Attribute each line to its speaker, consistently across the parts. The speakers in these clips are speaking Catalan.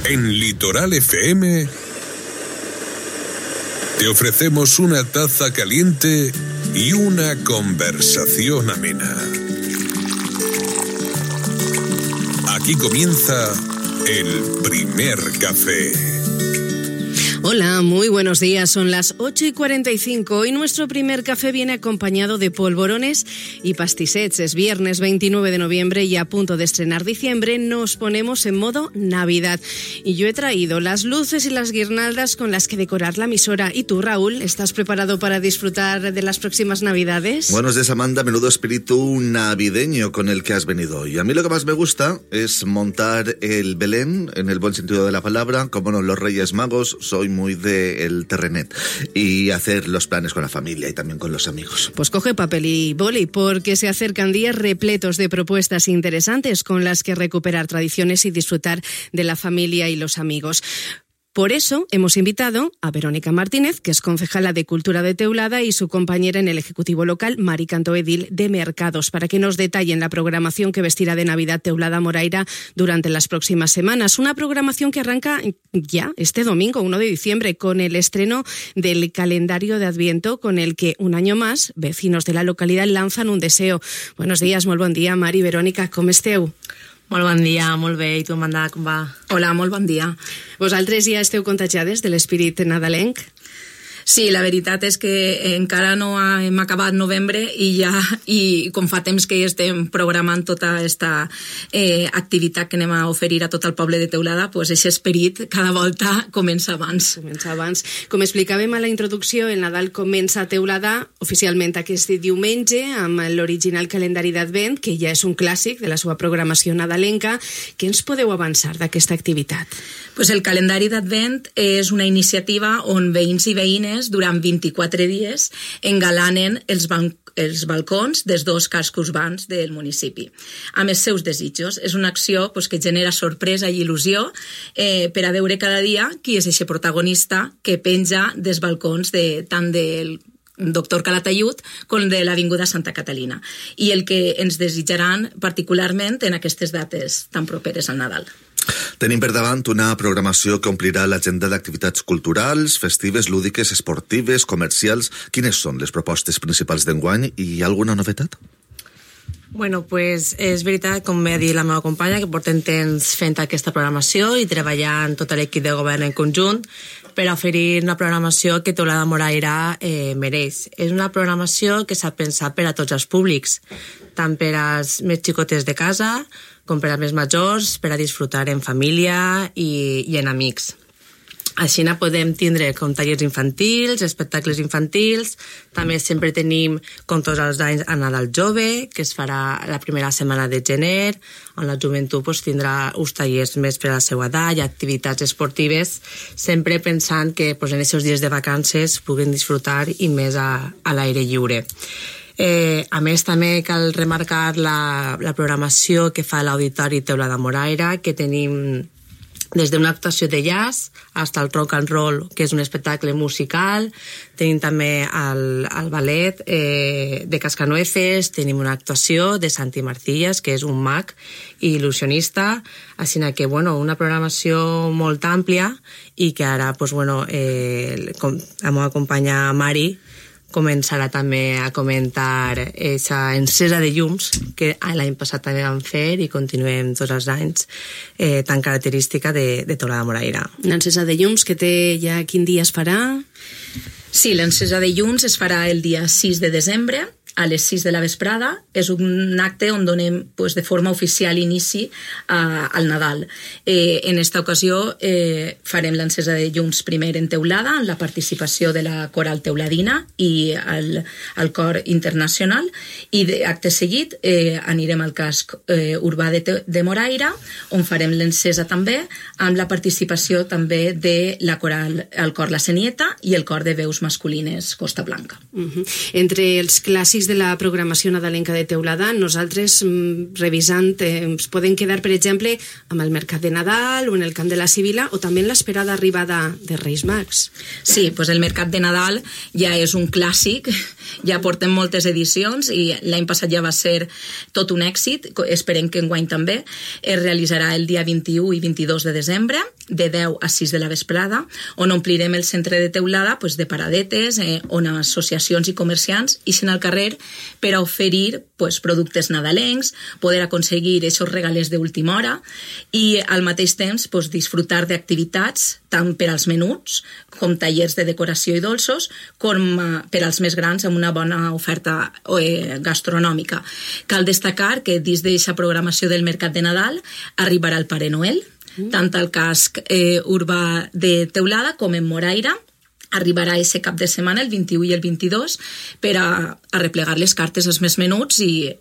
Speaker 1: En Litoral FM te ofrecemos una taza caliente y una conversación amena. Aquí comienza el primer café.
Speaker 2: Hola, muy buenos días. Son las 8:45 y nuestro primer café viene acompañado de polvorones y pastisets. Es viernes 29 de noviembre y a punto de estrenar diciembre nos ponemos en modo Navidad. Y yo he traído las luces y las guirnaldas con las que decorar la emisora. ¿Y tú, Raúl, estás preparado para disfrutar de las próximas Navidades?
Speaker 3: Buenos días, Amanda. Menudo espíritu navideño con el que has venido hoy. A mí lo que más me gusta es montar el Belén, en el buen sentido de la palabra, como no, los Reyes Magos. Soy muy del terrenet y hacer los planes con la familia y también con los amigos.
Speaker 2: Pues coge papel y boli, porque se acercan días repletos de propuestas interesantes con las que recuperar tradiciones y disfrutar de la familia y los amigos. Por eso hemos invitado a Verónica Martínez, que es concejala de Cultura de Teulada, y su compañera en el Ejecutivo Local, Mari Cantó, edil de Mercados, para que nos detallen la programación que vestirá de Navidad Teulada Moraira durante las próximas semanas. Una programación que arranca ya este domingo, 1 de diciembre, con el estreno del calendario de Adviento, con el que un año más vecinos de la localidad lanzan un deseo. Buenos días, molt bon dia, Mari, Verónica, com esteu?
Speaker 4: Molt bon dia, molt bé. I tu, Amanda, com va?
Speaker 2: Hola, molt bon dia. Vosaltres ja esteu contagiades de l'espírit nadalenc?
Speaker 5: Sí, la veritat és que encara no hem acabat novembre i com fa temps que estem programant tota aquesta activitat que anem a oferir a tot el poble de Teulada, doncs aquest esperit cada volta comença abans.
Speaker 2: Com explicàvem a la introducció, el Nadal comença a Teulada oficialment aquest diumenge amb l'original calendari d'Advent, que ja és un clàssic de la seva programació nadalenca. Què ens podeu avançar d'aquesta activitat?
Speaker 5: Pues el calendari d'Advent és una iniciativa on veïns i veïnes durant 24 dies engalanen els balcons dels dos cascos urbans del municipi amb els seus desitjos. És una acció que genera sorpresa i il·lusió per a veure cada dia qui és aquest protagonista que penja dels balcons tant del Doctor Calatayud com de l'Avinguda Santa Catalina, i el que ens desitjaran particularment en aquestes dates tan properes al Nadal.
Speaker 3: Tenim per davant una programació que omplirà l'agenda d'activitats culturals, festives, lúdiques, esportives, comercials. Quines són les propostes principals d'enguany i hi ha alguna novetat?
Speaker 4: Bueno, pues és veritat, com ha dit la meva companya, que portem temps fent aquesta programació i treballant tot l'equip de govern en conjunt per oferir una programació que Teulada Moraira mereix. És una programació que s'ha pensat per a tots els públics, tant per als més xicotes de casa com per als més majors, per a disfrutar en família i en amics. Així podem tindre com tallers infantils, espectacles infantils, també sempre tenim, com tots els anys, a Nadal Jove, que es farà la primera setmana de gener, on la joventut tindrà uns tallers més per a la seva edat i activitats esportives, sempre pensant que en aquests dies de vacances puguin disfrutar i més a l'aire lliure. A més, també cal remarcar la programació que fa l'Auditori Teulada Moraira, que tenim des d'una actuació de jazz fins al rock and roll, que és un espectacle musical. Tenim també el ballet de Cascanueces, tenim una actuació de Santi Marcillas, que és un mag i il·lusionista, així que una programació molt àmplia i que ara la meva companya Mari començarà també a comentar aquesta encesa de llums que l'any passat també vam fer i continuem tots els anys tan característica de Teulada Moraira.
Speaker 2: L'encesa de llums que té ja quin dia es farà?
Speaker 5: Sí, l'encesa de llums es farà el dia 6 de desembre a les 6 de la vesprada. És un acte on donem de forma oficial inici al Nadal. En esta ocasió farem l'encesa de llums primer en Teulada, amb la participació de la Coral Teuladina i el Cor Internacional, i acte seguit anirem al casc urbà de Moraira, on farem l'encesa també, amb la participació també de la Coral, el Cor La Senieta i el Cor de Veus Masculines Costa Blanca.
Speaker 2: Entre els clàssics de la programació nadalenca de Teulada, nosaltres, revisant, ens podem quedar, per exemple, amb el Mercat de Nadal o en el Camp de la Sibila, o també en l'esperada arribada de Reis Mags.
Speaker 5: Sí, doncs el Mercat de Nadal ja és un clàssic, ja portem moltes edicions i l'any passat ja va ser tot un èxit, esperem que enguany també. Es realitzarà el dia 21 i 22 de desembre, de 10 a 6 de la vesprada, on omplirem el centre de Teulada de paradetes, on associacions i comerciants ixen al carrer per a oferir productes nadalencs, poder aconseguir aquests regalers d'última hora i al mateix temps disfrutar d'activitats tant per als menuts com tallers de decoració i dolços com per als més grans amb una bona oferta gastronòmica. Cal destacar que dins d'aquesta programació del Mercat de Nadal arribarà el Pare Noel, tant al casc urbà de Teulada com en Moraira. Arribarà aquest cap de setmana, el 21 i el 22, per a replegar les cartes als més menuts i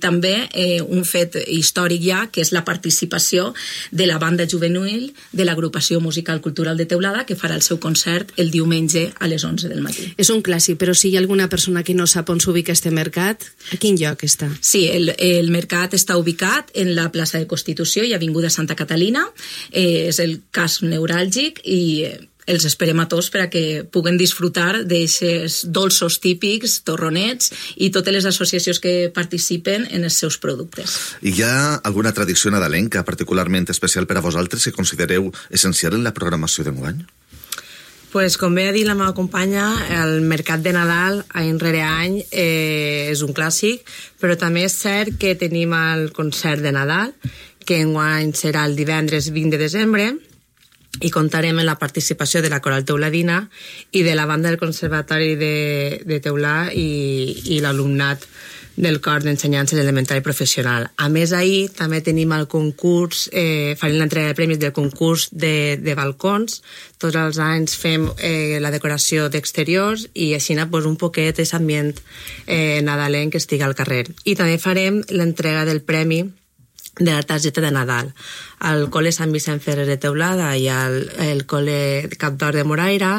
Speaker 5: també un fet històric ja, que és la participació de la banda juvenil de l'agrupació musical cultural de Teulada, que farà el seu concert el diumenge a les 11 del matí.
Speaker 2: És un clàssic, però si hi ha alguna persona que no sap on s'ubica este mercat, a quin lloc està?
Speaker 5: Sí, el mercat està ubicat en la plaça de Constitució i Avinguda Santa Catalina, és el casc neuràlgic i els esperem a tots per a que puguen disfrutar d'aquests dolços típics, torronets i totes les associacions que participen en els seus productes.
Speaker 3: I hi ha alguna tradició nadalenca particularment especial per a vosaltres que considereu essencial en la programació d'enguany?
Speaker 4: Pues, com bé ha dit la meva companya, el Mercat de Nadal, any rere any, és un clàssic, però també és cert que tenim el concert de Nadal, que enguany serà el divendres 20 de desembre, i comptarem amb la participació de la Coral Teuladina i de la banda del Conservatori de Teulà i l'alumnat del cor d'ensenyança elemental i professional. A més, ahir també tenim el concurs, farem l'entrega de premis del concurs de balcons. Tots els anys fem la decoració d'exteriors i així un poquet és ambient nadalenc que estigui al carrer. I també farem l'entrega del premi de la targeta de Nadal. Al col·le Sant Vicent Ferrer de Teulada i al col·le Cap d'Or de Moraira,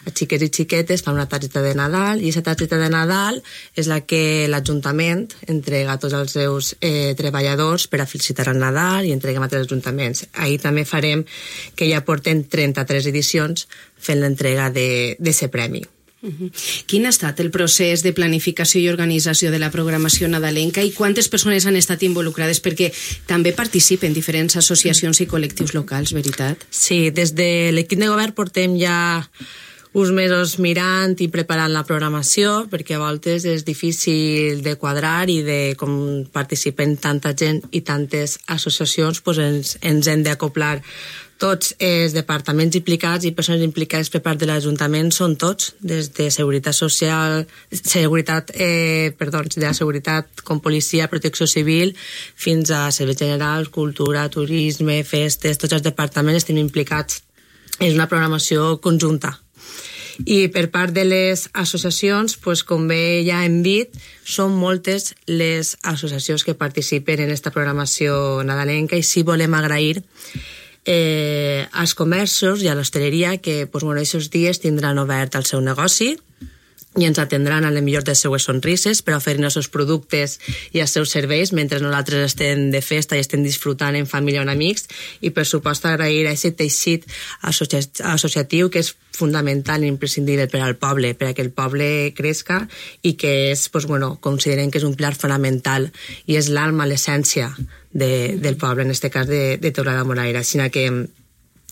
Speaker 4: els xiquets i xiquetes fan una targeta de Nadal i aquesta targeta de Nadal és la que l'Ajuntament entrega a tots els seus treballadors per a felicitar el Nadal i entreguem a tots els ajuntaments. Ahir també farem que ja porten 33 edicions fent l'entrega d'aquest premi.
Speaker 2: Quin ha estat el procés de planificació i organització de la programació nadalenca i quantes persones han estat involucrades? Perquè també participen diferents associacions i col·lectius locals, veritat?
Speaker 4: Sí, des de l'equip de govern portem ja uns mesos mirant i preparant la programació, perquè a voltes és difícil de quadrar i de com participen tanta gent i tantes associacions, doncs ens hem d'acoplar. Tots els departaments implicats i persones implicades per part de l'Ajuntament són tots, des de seguretat social, de la seguretat com policia, protecció civil, fins a serveis generals, cultura, turisme, festes, tots els departaments estem implicats. És una programació conjunta. I per part de les associacions, com bé ja hem dit, són moltes les associacions que participen en aquesta programació nadalenca i sí volem agrair als comerços i a l'hostaleria que aquests dies tindran obert el seu negoci i ens atendran a les millors de les seues sonrises per oferir els seus productes i els seus serveis mentre nosaltres estem de festa i estem disfrutant en família o en amics i per supost agrair a aquest teixit associatiu que és fundamental i imprescindible per al poble, per a que el poble crezca i que és, considerem que és un pilar fonamental i és l'alma, l'essència del poble, en aquest cas de Teulada de Moraira. Així que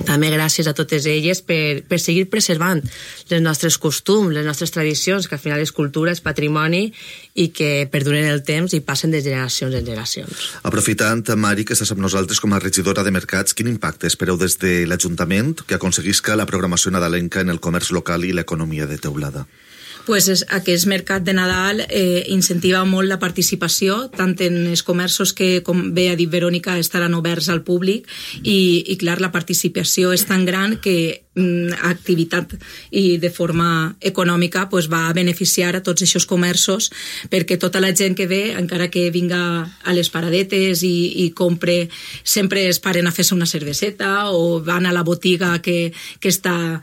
Speaker 4: també gràcies a totes elles per seguir preservant els nostres costums, les nostres tradicions, que al final és cultura, és patrimoni i que perduren el temps i passen de generacions en generacions.
Speaker 3: Aprofitant, Mari, que estàs amb nosaltres com a regidora de mercats, quin impacte espereu des de l'Ajuntament que aconseguisca la programació nadalenca en el comerç local i l'economia de Teulada?
Speaker 5: Aquest mercat de Nadal incentiva molt la participació, tant en els comerços que, com bé ha dit Verònica, estaran oberts al públic i clar, la participació és tan gran que activitat i de forma econòmica va beneficiar a tots aquests comerços, perquè tota la gent que ve, encara que vinga a les paradetes i compre, sempre es paren a fer-se una cerveseta o van a la botiga que està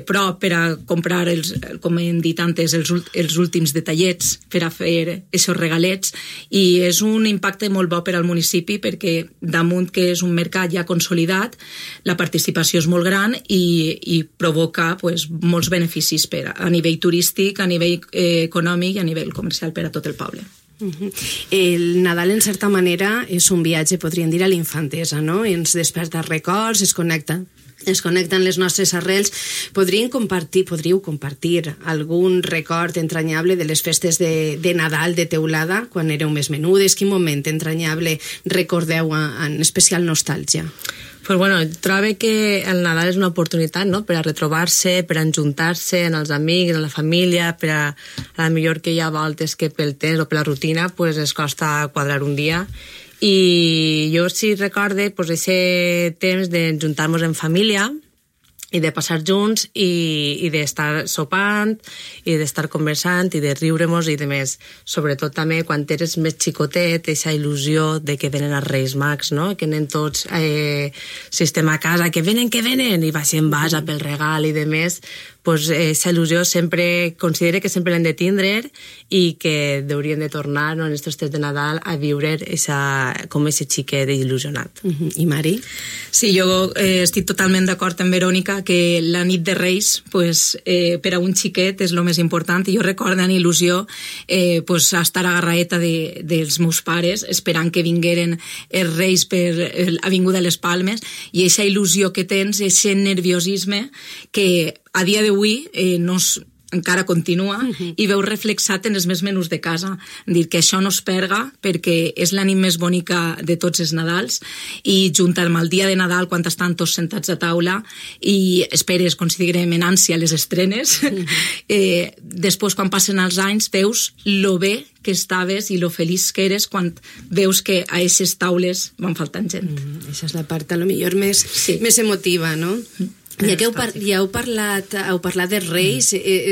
Speaker 5: prop per a comprar, com hem dit antes, els últims detallets per a fer aquests regalets, i és un impacte molt bo per al municipi, perquè damunt que és un mercat ja consolidat, la participació és molt gran i provoca molts beneficis a nivell turístic, a nivell econòmic i a nivell comercial per a tot el poble.
Speaker 2: El Nadal, en certa manera, és un viatge, podríem dir, a l'infantesa, no? Ens desperta records, es connecten les nostres arrels. Podríeu compartir algun record entranyable de les festes de Nadal de Teulada, quan éreu més menudes? Quin moment entranyable recordeu en especial nostàlgia?
Speaker 4: Pues bueno, trobo que el Nadal és una oportunitat, no?, per a retrobar-se, per a enjuntar-se amb els amics, amb la família, per a millor que hi ha voltes que pel temps o per la rutina es costa quadrar un dia. I jo sí recorde aquest temps d'enjuntar-nos en família i de passar junts i d'estar sopant i d'estar conversant i de riure-nos i de més. Sobretot també quan eres més xicotet, aquesta il·lusió de que venen els Reis Mags, no?, que anem tots, si estem a casa, que venen, i baixem basa pel regal i de més, aquesta il·lusió sempre considero que sempre l'hem de tindre i que hauríem de tornar, en aquests temps de Nadal, a viure com aquest xiquet il·lusionat.
Speaker 2: I Mari?
Speaker 5: Sí, jo estic totalment d'acord amb Verònica que la nit de Reis per a un xiquet és el més important, i jo recordo amb il·lusió estar agarraeta dels meus pares esperant que vingueren els Reis per l'Avinguda de les Palmes, i aquesta il·lusió que tens, aquest nerviosisme que a dia d'avui encara continua i veu reflexat en els més menús de casa. Dir que això no es perga perquè és la nit més bonica de tots els Nadals, i junt amb el dia de Nadal, quan estan tots sentats a taula i esperes, considerem en ànsia, les estrenes, després quan passen els anys veus lo bé que estaves i lo feliç que eres quan veus que a aquestes taules van faltant gent.
Speaker 2: Això és la part, a lo millor, més emotiva, no? Ja que heu parlat de Reis,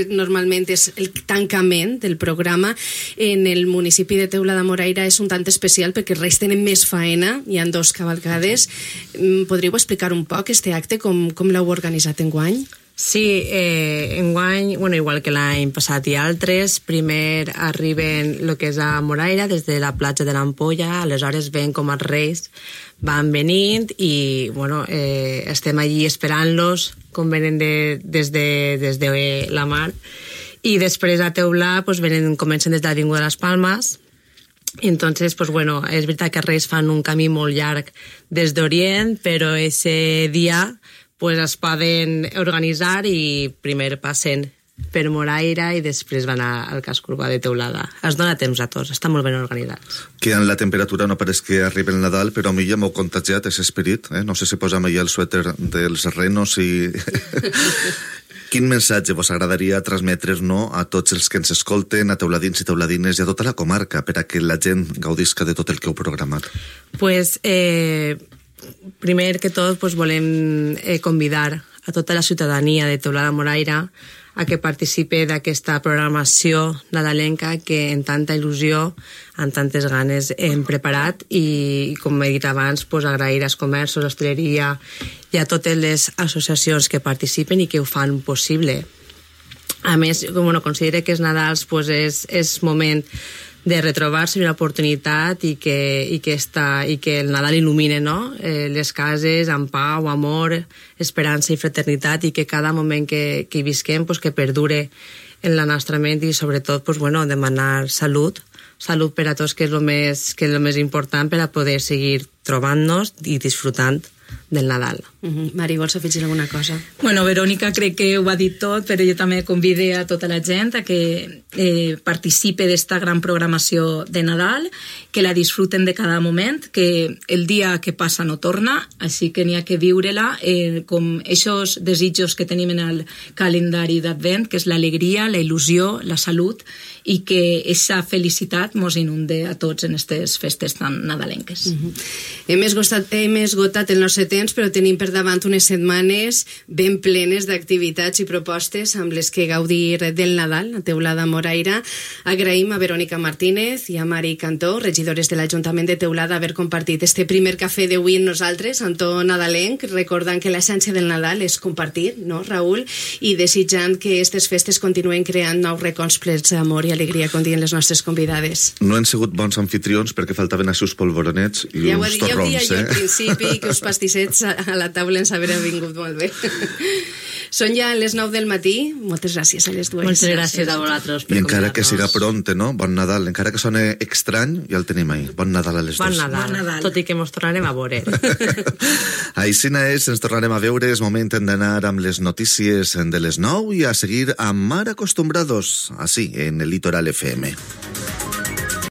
Speaker 2: normalment és el tancament del programa. En el municipi de Teulada-Moraira és un tant especial perquè els Reis tenen més faena, hi ha 2 cavalcades. Podríeu explicar un poc este acte, com l'heu organitzat enguany?
Speaker 4: Sí, enguany, igual que l'any passat i altres, primer arriben el que és a Moraira des de la platja de l'Ampolla, aleshores ven com els Reis van venint i estem allí esperant-los com venen des de la mar, i després a Teulà comencen des de l'Avinguda de les Palmes. Entonces, és veritat que els Reis fan un camí molt llarg des d'Orient, però ese dia es poden organitzar i primer passen per Moraira i després van al casc urbà de Teulada. Es dona temps a tots, està molt ben organitzats.
Speaker 3: Que en la temperatura no pareix que arribi el Nadal, però a mi ja m'ho contagiat, aquest esperit. No sé si posa'm allà el suèter dels renos i... Quin missatge vos agradaria transmetre a tots els que ens escolten, a teuladins i teuladines i a tota la comarca, per a que la gent gaudisca de tot el que heu programat?
Speaker 4: Primer que tot volem convidar a tota la ciutadania de Teulada-Moraira a que participe d'aquesta programació nadalenca que en tanta il·lusió, amb tantes ganes hem preparat, i com he dit abans, agrair als comerços, l'hostaleria i a totes les associacions que participen i que ho fan possible. A més, considero que els Nadals és moment de retrobar-se, una oportunitat, i que el Nadal il·lumine les cases amb pau, amor, esperança i fraternitat, i que cada moment que hi visquem que perdure en la nostra ment, i sobretot demanar salut per a tots, que és el més important per a poder seguir trobant-nos i disfrutant del Nadal.
Speaker 2: Mari, vols afegir alguna cosa?
Speaker 5: Verònica crec que ho ha dit tot, però jo també convide a tota la gent a que participe d'esta gran programació de Nadal, que la disfruten de cada moment, que el dia que passa no torna, així que n'hi ha que viure-la com aquests desitjos que tenim en el calendari d'Advent, que és l'alegria, la il·lusió, la salut, i que aquesta felicitat mos inunde a tots en aquestes festes tan nadalenques.
Speaker 2: Hem esgotat el nostre força temps, però tenim per davant unes setmanes ben plenes d'activitats i propostes amb les que gaudir del Nadal a Teulada Moraira. Agraïm a Verònica Martínez i a Mari Cantó, regidores de l'Ajuntament de Teulada, haver compartit este primer cafè d'avui amb nosaltres, amb to nadalenc, recordant que l'essència del Nadal és compartir, no, Raül? I desitjant que aquestes festes continuen creant nous racons plens d'amor i alegria, com diuen les nostres convidades.
Speaker 3: No han sigut bons anfitrions perquè faltaven així uns polvoronets i uns torrons,
Speaker 2: Ja ho dia jo al principi, que els pastissets a la taula ens haver vingut molt bé. Són ja les 9 del matí. Moltes gràcies a les dues.
Speaker 4: Moltes gràcies a vosaltres per
Speaker 3: I encara que
Speaker 4: convidar-nos.
Speaker 3: siga pronte, no? Bon Nadal. Encara que sone estrany, ja el tenim ahí. Bon Nadal a les
Speaker 4: Bon
Speaker 3: dues.
Speaker 4: Nadal, tot i que mos tornarem a veure.
Speaker 3: Aixina és, ens tornarem a veure. És moment d'anar amb les notícies de les 9 i a seguir amb Mar Acostumbrados, així, en el Litoral FM.